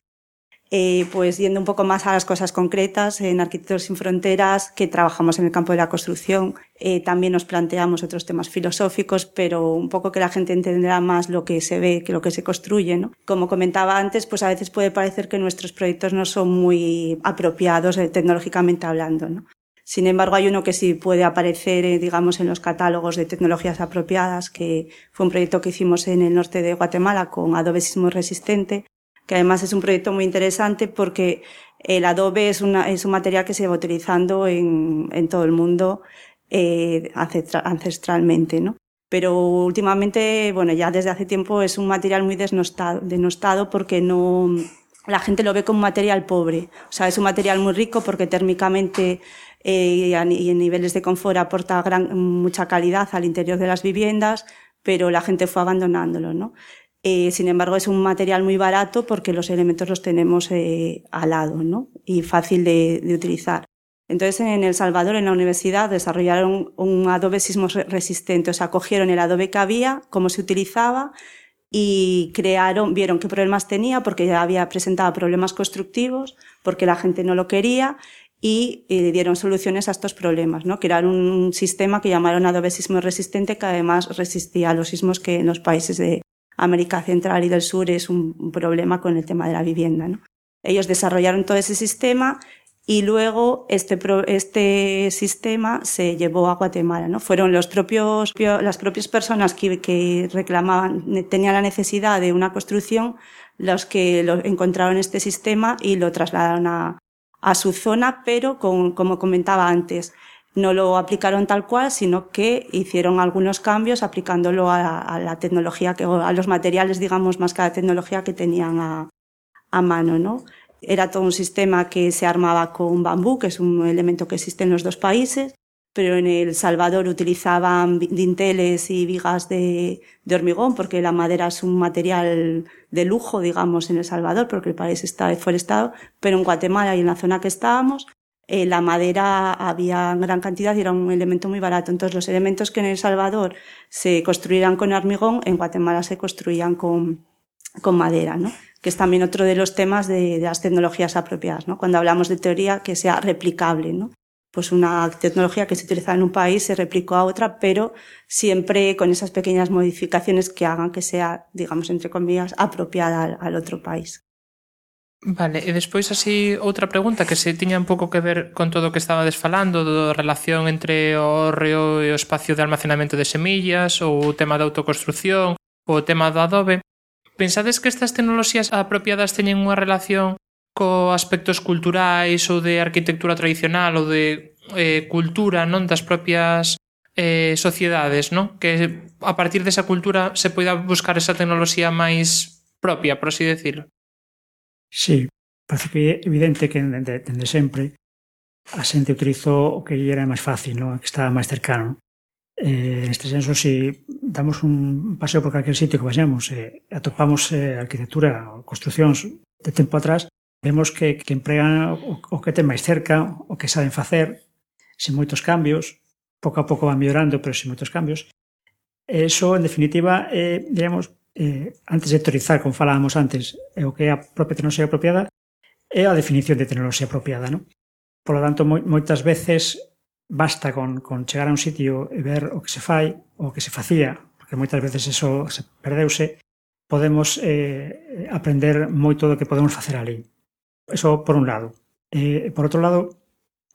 Speaker 9: Eh, pues yendo un poco más a las cosas concretas, en Arquitectos Sin Fronteras, que trabajamos en el campo de la construcción, eh, también nos planteamos otros temas filosóficos, pero un poco que la gente entenderá más lo que se ve que lo que se construye, ¿no? Como comentaba antes, pues a veces puede parecer que nuestros proyectos no son muy apropiados eh, tecnológicamente hablando, ¿no? Sin embargo, hay uno que sí puede aparecer, eh, digamos, en los catálogos de tecnologías apropiadas, que fue un proyecto que hicimos en el norte de Guatemala con adobe sismo resistente, que además es un proyecto muy interesante porque el adobe es, una, es un material que se va utilizando en, en todo el mundo eh, ancestralmente, ¿no? Pero últimamente, bueno, ya desde hace tiempo es un material muy denostado, denostado porque no, la gente lo ve como un material pobre. O sea, es un material muy rico porque térmicamente eh, y en niveles de confort aporta gran, mucha calidad al interior de las viviendas, pero la gente fue abandonándolo, ¿no? Eh, sin embargo, es un material muy barato porque los elementos los tenemos eh, al lado, ¿no? Y fácil de, de utilizar. Entonces, en El Salvador, en la universidad, desarrollaron un Adobe sismo resistente. O sea, cogieron el Adobe que había, cómo se utilizaba, y crearon, vieron qué problemas tenía, porque ya había presentado problemas constructivos, porque la gente no lo quería, y eh, dieron soluciones a estos problemas, ¿no? Crearon un sistema que llamaron Adobe sismo resistente, que además resistía a los sismos que en los países de América Central y del Sur es un, un problema con el tema de la vivienda, ¿no? Ellos desarrollaron todo ese sistema y luego este, pro, este sistema se llevó a Guatemala, ¿no? Fueron los propios, las propias personas que, que reclamaban, tenían la necesidad de una construcción, los que lo encontraron este sistema y lo trasladaron a, a su zona, pero con, como comentaba antes, no lo aplicaron tal cual, sino que hicieron algunos cambios aplicándolo a, a la tecnología, que, a los materiales, digamos, más que a la tecnología que tenían a, a mano, ¿no? Era todo un sistema que se armaba con bambú, que es un elemento que existe en los dos países, pero en El Salvador utilizaban dinteles y vigas de, de hormigón, porque la madera es un material de lujo, digamos, en El Salvador, porque el país está deforestado, pero en Guatemala y en la zona que estábamos, eh, la madera había en gran cantidad y era un elemento muy barato. Entonces, los elementos que en El Salvador se construían con hormigón, en Guatemala se construían con, con madera, ¿no? Que es también otro de los temas de, de las tecnologías apropiadas, ¿no? Cuando hablamos de teoría, que sea replicable, ¿no? Pues una tecnología que se utiliza en un país se replicó a otra, pero siempre con esas pequeñas modificaciones que hagan que sea, digamos, entre comillas, apropiada al, al otro país.
Speaker 3: Vale, e despois así outra pregunta que se tiña un pouco que ver con todo o que estabades falando, da relación entre o hórreo e o espacio de almacenamento de semillas, ou o tema da autoconstrucción, ou o tema do adobe. Pensades que estas tecnoloxías apropiadas teñen unha relación co aspectos culturais ou de arquitectura tradicional ou de eh, cultura, non, das propias eh, sociedades, non? Que a partir desa cultura se poida buscar esa tecnoloxía máis propia, por así decirlo.
Speaker 8: Sí, parece que é evidente que dende, dende sempre a xente utilizou o que era máis fácil, non? Que estaba máis cercano. Eh, neste senso, se damos un paseo por calquer sitio que vayamos e eh, atopamos eh, arquitectura ou construcións de tempo atrás, vemos que, que empregan o, o que ten máis cerca, o que saben facer, sin moitos cambios, pouco a pouco van mellorando, pero sin moitos cambios. E iso, en definitiva, eh, digamos, eh, antes de teorizar, como falábamos antes, é o que é a propia tecnoloxía apropiada, é a definición de tecnoloxía apropiada, non? Por lo tanto, moi, moitas veces basta con, con chegar a un sitio e ver o que se fai, o que se facía, porque moitas veces eso se perdeuse, podemos eh, aprender moito do que podemos facer ali. Eso por un lado. Eh, por outro lado,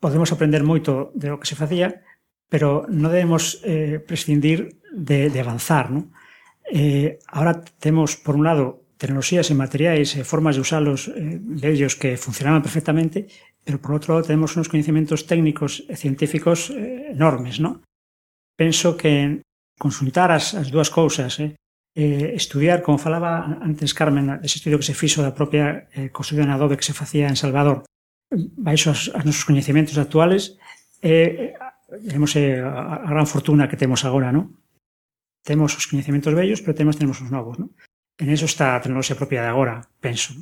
Speaker 8: podemos aprender moito de o que se facía, pero non debemos eh, prescindir de, de avanzar, non? Eh, ahora temos, por un lado, tecnoloxías e materiais e formas de usalos eh, de ellos que funcionaban perfectamente, pero por outro lado tenemos unos conhecimentos técnicos e científicos eh, enormes, non? Penso que consultar as, as dúas cousas, eh, eh, estudiar, como falaba antes Carmen, ese estudio que se fixo da propia eh, construción en adobe que se facía en Salvador, baixo as, as nosos conhecimentos actuales, eh, digamos, eh, a, a gran fortuna que temos agora, non? Temos os conhecimentos vellos, pero temos, temos os novos, non? En eso está a tecnoloxía propia de agora, penso.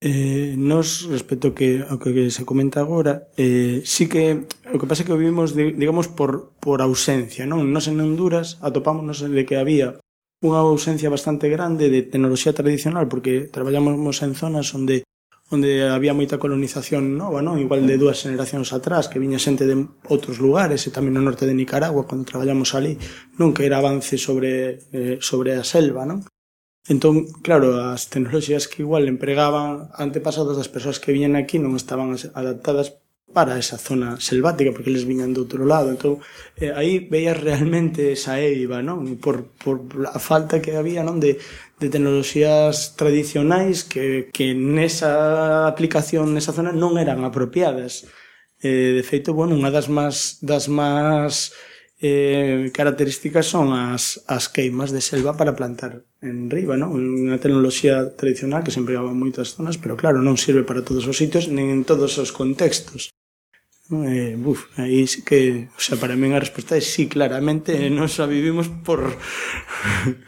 Speaker 7: Eh, nos, respecto que, ao que se comenta agora, eh, sí que o que pasa é que o vivimos, de, digamos, por, por ausencia, non? Nos en Honduras atopámonos de que había unha ausencia bastante grande de tecnoloxía tradicional, porque traballamos en zonas onde onde había moita colonización nova, non? Igual de dúas generacións atrás, que viña xente de outros lugares, e tamén no norte de Nicaragua, cando traballamos ali, non? Que era avance sobre, eh, sobre a selva, non? Entón, claro, as tecnoloxías que igual empregaban antepasadas das persoas que viñan aquí non estaban adaptadas para esa zona selvática, porque eles viñan do outro lado. Entón, eh, aí veías realmente esa eiva, non? Por, por a falta que había, non? De, de tecnoloxías tradicionais que, que nesa aplicación, nesa zona, non eran apropiadas. Eh, de feito, bueno, unha das máis, das máis eh, características son as, as queimas de selva para plantar en riba, non? Unha tecnoloxía tradicional que se empregaba en moitas zonas, pero claro, non sirve para todos os sitios, nin en todos os contextos. Eh, uf, aí sí que, o sea, para mí a resposta é sí, claramente, nos a vivimos por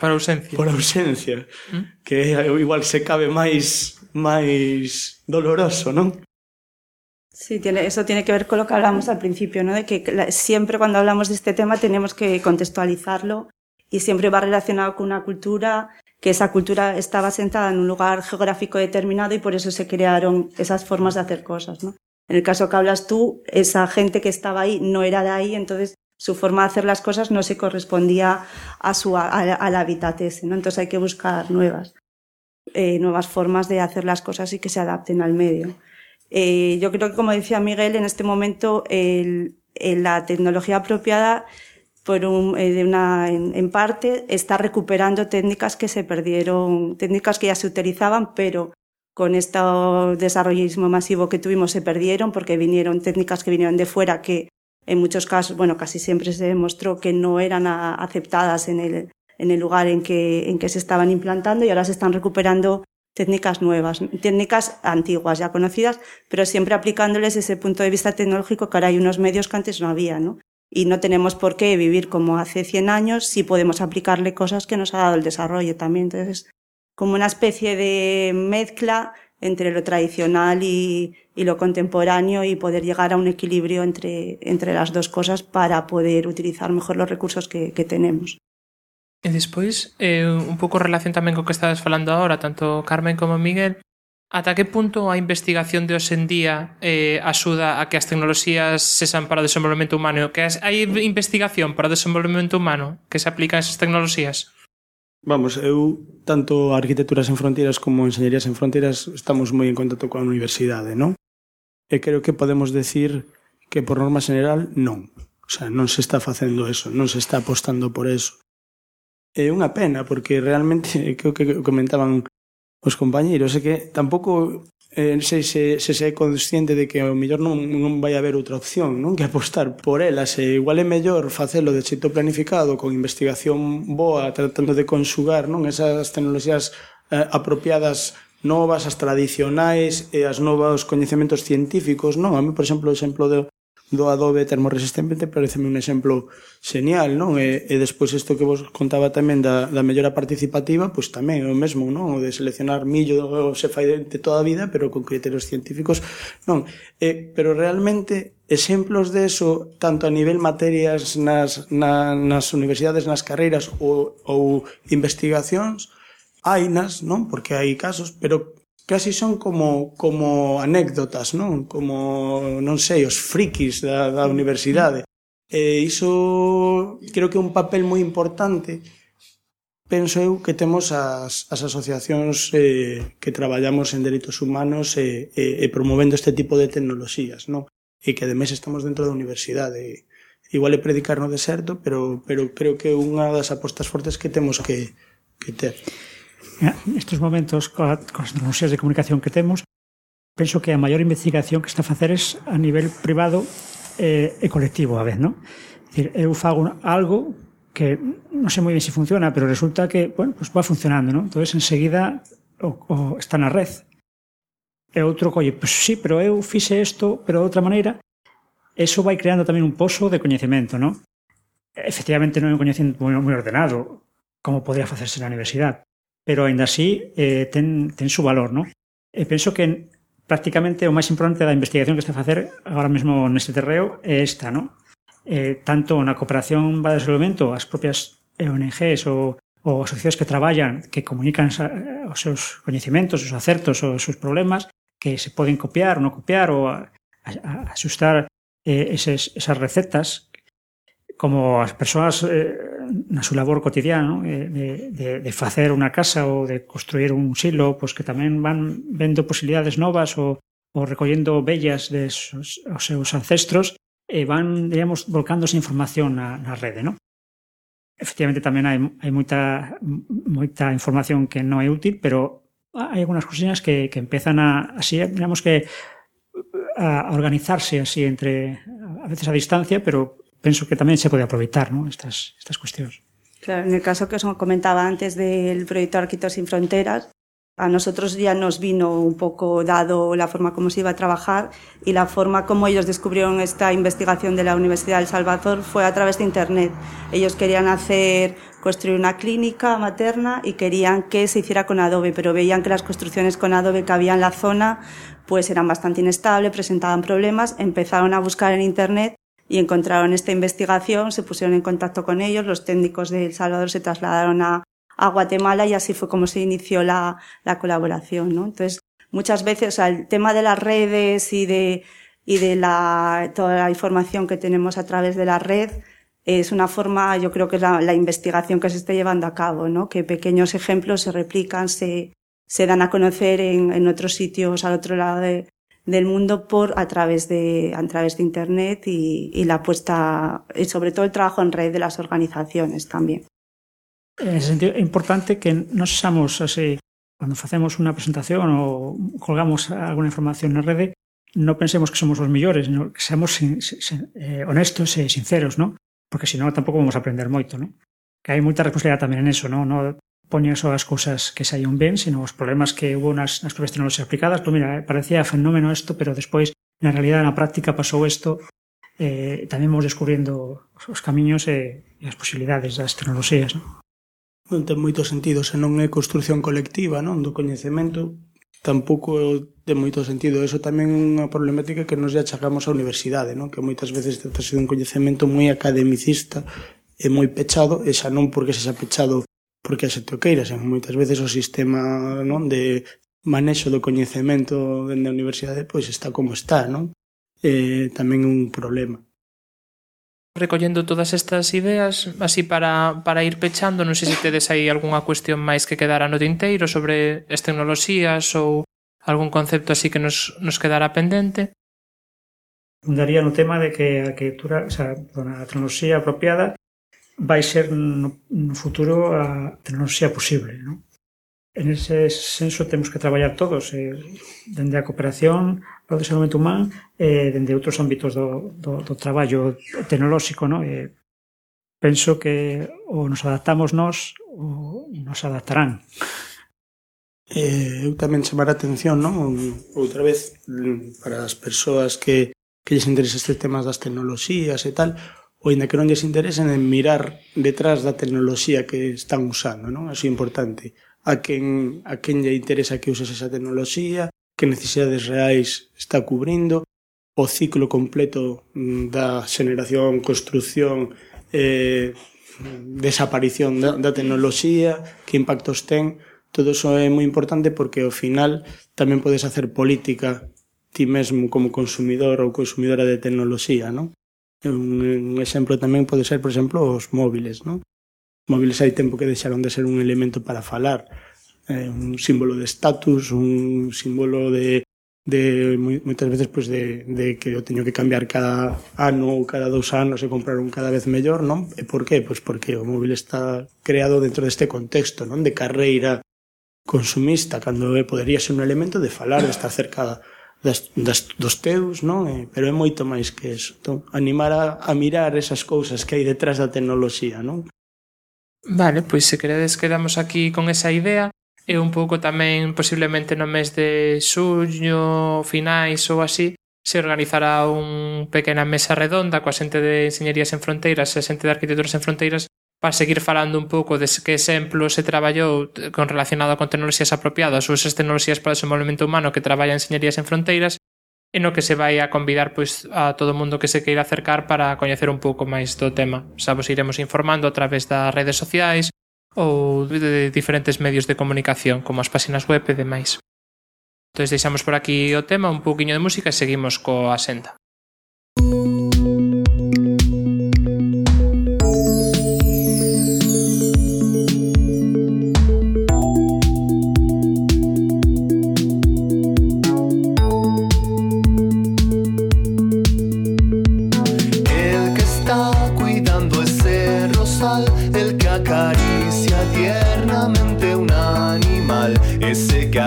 Speaker 3: por ausencia.
Speaker 7: Por ausencia, ¿Mm? Que igual se cabe máis máis doloroso, non?
Speaker 9: Sí, tiene, eso tiene que ver con lo que hablamos al principio, ¿no? De que la, siempre cuando hablamos de este tema tenemos que contextualizarlo y siempre va relacionado con una cultura, que esa cultura estaba sentada en un lugar geográfico determinado y por eso se crearon esas formas de hacer cosas, ¿no? En el caso que hablas tú, esa gente que estaba ahí no era de ahí, entonces su forma de hacer las cosas no se correspondía a su, a, al hábitat ese, ¿no? Entonces hay que buscar nuevas, eh, nuevas formas de hacer las cosas y que se adapten al medio. Eh, yo creo que, como decía Miguel, en este momento el, el, la tecnología apropiada, por un, eh, de una, en, en parte, está recuperando técnicas que se perdieron, técnicas que ya se utilizaban, pero con este desarrollismo masivo que tuvimos se perdieron porque vinieron técnicas que vinieron de fuera que en muchos casos, bueno, casi siempre se demostró que no eran a, aceptadas en el, en el lugar en que, en que se estaban implantando y ahora se están recuperando técnicas nuevas, técnicas antiguas ya conocidas, pero siempre aplicándoles ese punto de vista tecnológico que ahora hay unos medios que antes no había, ¿no? Y no tenemos por qué vivir como hace cien años si podemos aplicarle cosas que nos ha dado el desarrollo también. Entonces, como una especie de mezcla entre lo tradicional y, y lo contemporáneo y poder llegar a un equilibrio entre, entre las dos cosas para poder utilizar mejor los recursos que, que tenemos.
Speaker 3: E despois, eh, un pouco relación tamén co que estades falando agora, tanto Carmen como Miguel, ata que punto a investigación de hoxe en día eh, axuda a que as tecnoloxías sexan para o desenvolvemento humano? Que hai investigación para o desenvolvemento humano que se aplica a esas tecnoloxías?
Speaker 7: Vamos, eu, tanto Arquitecturas en Fronteiras como Enxeñerías en Fronteiras estamos moi en contacto coa universidade, non? E creo que podemos decir que por norma general non. O sea, non se está facendo eso, non se está apostando por eso. É unha pena, porque realmente, creo que comentaban os compañeiros, é que tampouco eh, sei se, se se é consciente de que ao mellor non, non vai haber outra opción, non? Que apostar por elas. E igual é mellor facelo de xeito planificado, con investigación boa, tratando de conxugar, non? Esas tecnoloxías eh, apropiadas novas, as tradicionais e as novos coñecementos científicos, non? A mí, por exemplo, o exemplo de do adobe termoresistente pareceme un exemplo genial, non? E, e despois isto que vos contaba tamén da, da mellora participativa, pois tamén é o mesmo, non? O de seleccionar millo se fai de, de toda a vida, pero con criterios científicos, non? E, pero realmente exemplos de eso, tanto a nivel materias nas, na, nas universidades, nas carreiras ou, ou investigacións, hainas, non? Porque hai casos, pero casi son como como anécdotas, non? Como, non sei, os frikis da, da universidade. E iso creo que é un papel moi importante, penso eu, que temos as, as asociacións eh, que traballamos en dereitos humanos e, e, e promovendo este tipo de tecnoloxías, non? E que ademais estamos dentro da universidade. Igual é predicar no deserto, pero, pero creo que é unha das apostas fortes que temos que, que ter.
Speaker 8: Nestes momentos, coas tecnoloxías de comunicación que temos, penso que a maior investigación que está a facer é a nivel privado e, e colectivo a vez, non? É dicir, eu fago algo que non sei moi ben se funciona, pero resulta que, bueno, pues va funcionando, non? Entón, enseguida, o, o está na red. E outro, colle, pues sí, pero eu fixe isto, pero de outra maneira, eso vai creando tamén un pozo de coñecemento, non? Efectivamente non é un coñecemento moi, moi ordenado, como podría facerse na universidade, pero ainda así eh, ten, ten su valor, non? E penso que prácticamente o máis importante da investigación que está a facer agora mesmo neste terreo é esta, non? Eh, tanto na cooperación para o desenvolvemento, as propias O N Ges ou, ou asociacións que traballan, que comunican os seus coñecementos, os acertos, os seus problemas, que se poden copiar ou non copiar ou a, a, a asustar eh, eses, esas recetas, como as persoas eh, na súa labor cotidiana, ¿no? de, de, de facer unha casa ou de construir un silo, pues que tamén van vendo posibilidades novas ou, ou recollendo vellas de os, os seus ancestros e van, digamos, volcándose información na, na rede, ¿no? Efectivamente tamén hai, hai moita, moita información que non é útil, pero hai algunhas cosillas que, que empezan a, así, digamos que a organizarse así entre, a veces a distancia, pero penso que tamén se pode aproveitar, ¿no? estas, estas cuestións.
Speaker 9: Claro, en el caso que os comentaba antes del proyecto Arquitectos sin Fronteras, a nosotros ya nos vino un poco dado la forma como se iba a trabajar y la forma como ellos descubrieron esta investigación de la Universidad de El Salvador fue a través de Internet. Ellos querían hacer, construir una clínica materna y querían que se hiciera con Adobe, pero veían que las construcciones con Adobe que había en la zona pues eran bastante inestables, presentaban problemas, empezaron a buscar en Internet y encontraron esta investigación, se pusieron en contacto con ellos, los técnicos de El Salvador se trasladaron a a Guatemala y así fue como se inició la, la colaboración, ¿no? Entonces, muchas veces, o sea, el tema de las redes y de, y de la, toda la información que tenemos a través de la red es una forma, yo creo que es la, la investigación que se está llevando a cabo, ¿no? Que pequeños ejemplos se replican, se, se dan a conocer en, en otros sitios al otro lado de, del mundo por, a través de, a través de Internet y, y la puesta, y sobre todo el trabajo en red de las organizaciones también.
Speaker 8: En ese sentido, é importante que non sexamos así, cando facemos unha presentación ou colgamos alguna información na rede, non pensemos que somos os millores, sino que seamos sin, sin, eh, honestos e sinceros, ¿no? Porque senón tampouco vamos a aprender moito, ¿no? Que hai moita responsabilidade tamén en eso, ¿no? Non poñen só as cousas que saían ben, sino os problemas que hubo nas, nas propias tecnoloxías aplicadas. Pois mira, parecía fenómeno isto, pero despois, na realidade, na práctica pasou isto, eh, tamén vamos descubrindo os camiños e, e as posibilidades das tecnoloxías, ¿no?
Speaker 7: Non ten moito sentido se non é construción colectiva, non, do coñecemento, tampouco ten moito sentido. Eso tamén é unha problemática que nos achacamos á universidade, non, que moitas veces trata-se dun coñecemento moi academicista e moi pechado, e xa non porque se xa pechado porque a xente o queira, senón moitas veces o sistema, non, de manexo do coñecemento dende a universidade pois está como está, non? Eh, tamén é un problema.
Speaker 3: Recollendo todas estas ideas, así para, para ir pechando, non sei se tedes aí algunha cuestión máis que quedara no tinteiro sobre as tecnoloxías ou algún concepto así que nos, nos quedara pendente.
Speaker 8: Fundaría no tema de que a arquitectura, o sea, a tecnoloxía apropiada vai ser no, no futuro a tecnoloxía posible, non? En ese senso temos que traballar todos, eh, dende a cooperación ao desenvolvemento humano e eh, dende outros ámbitos do, do, do traballo tecnolóxico, no? Eh, penso que ou nos adaptamos nós ou nos adaptarán.
Speaker 7: Eh, eu tamén chamar a atención, non? Outra vez, para as persoas que, que lles interesa este temas das tecnoloxías e tal, ou ainda que non lles interesen en mirar detrás da tecnoloxía que están usando, non? Así é importante. A quen, a quen lle interesa que uses esa tecnoloxía, que necesidades reais está cubrindo, o ciclo completo da xeneración, construción, eh, desaparición da, da tecnoloxía, que impactos ten. Todo iso é moi importante porque ao final tamén podes hacer política ti mesmo como consumidor ou consumidora de tecnoloxía, non? Un, un exemplo tamén pode ser, por exemplo, os móviles, non? Móviles hai tempo que deixaron de ser un elemento para falar, eh, un símbolo de estatus, un símbolo de, de moitas veces pues de, de que eu teño que cambiar cada ano ou cada dous anos e comprar un cada vez mellor, non? E por qué? Pois porque o móvil está creado dentro deste contexto, non? De carreira consumista, cando podería ser un elemento de falar, de estar cerca das, das, dos teus, non? Eh, pero é moito máis que eso. Entón, animar a, a mirar esas cousas que hai detrás da tecnoloxía, non?
Speaker 3: Vale, pois se queredes quedamos aquí con esa idea e un pouco tamén posiblemente no mes de xuño, finais ou así, se organizará un pequena mesa redonda coa xente de Enxeñerías en Fronteiras e a xente de Arquitecturas en Fronteiras para seguir falando un pouco de que exemplo se traballou con relacionado con tecnoloxías apropiadas ou esas tecnoloxías para o desenvolvemento humano que traballa en Enxeñerías en Fronteiras e no que se vai a convidar pois a todo o mundo que se queira acercar para coñecer un pouco máis do tema. Xa vos iremos informando a través das redes sociais ou de diferentes medios de comunicación como as páxinas web e demais. Entón deixamos por aquí o tema, un pouquiño de música e seguimos coa senda.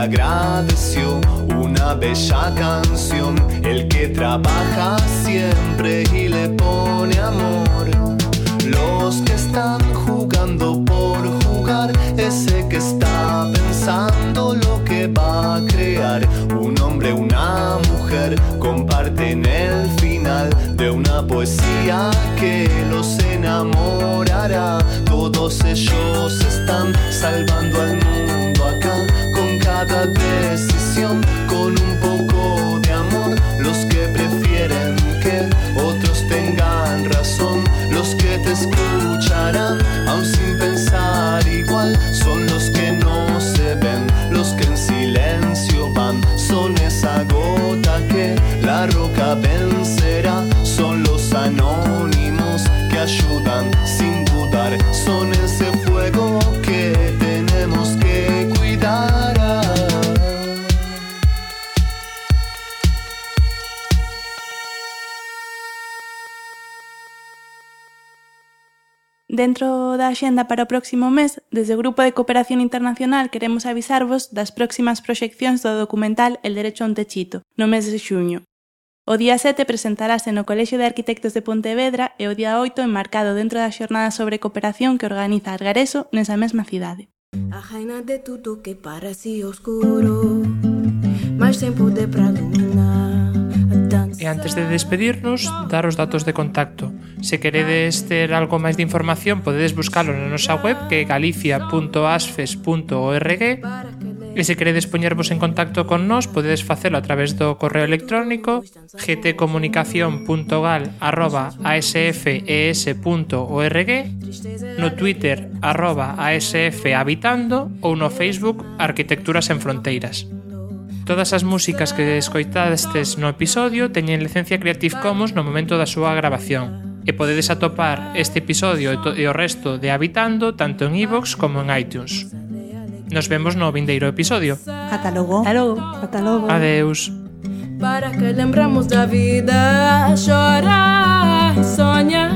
Speaker 10: Agradeció una bella canción, el que trabaja siempre y le pone amor. Los que están jugando por jugar, ese que está pensando lo que que los enamorará. Todos ellos están salvando al mundo acá, con cada decisión, con un poco de amor. Los que prefieren que otros tengan razón, los que te escucharán aun sin pensar igual, son los que no se ven, los que en silencio van, son esa gota que la roca vencerá, son los anónimos que ayudan sin dudar, son ese fuego que tenemos que cuidar.
Speaker 2: Dentro da axenda para o próximo mes, desde o Grupo de Cooperación Internacional queremos avisarvos das próximas proxeccións do documental El derecho a un techito, no mes de xuño. O día sete presentarase no Colexio de Arquitectos de Pontevedra e o día oito enmarcado dentro da xornada sobre cooperación que organiza Argareso nesa mesma cidade.
Speaker 1: A reina de tudo que parece oscuro, mas sem poder para iluminar.
Speaker 3: E antes de despedirnos, dar os datos de contacto. Se queredes ter algo máis de información, podedes buscalo na nosa web, que é galicia punto asfes punto org. E se queredes poñervos en contacto con nós, podedes facelo a través do correo electrónico g t comunicación punto gal arroba asfes punto org, no Twitter arroba asfhabitando ou no Facebook Arquitecturas en Fronteiras. Todas as músicas que escoitadestes no episodio teñen licencia Creative Commons no momento da súa grabación e podedes atopar este episodio e o resto de Habitando tanto en iVoox como en iTunes. Nos vemos no vindeiro episodio.
Speaker 4: Ata logo.
Speaker 2: Ata logo.
Speaker 5: Ata logo.
Speaker 3: Adeus.
Speaker 1: Para que lembramos da vida, chorar, sonhar.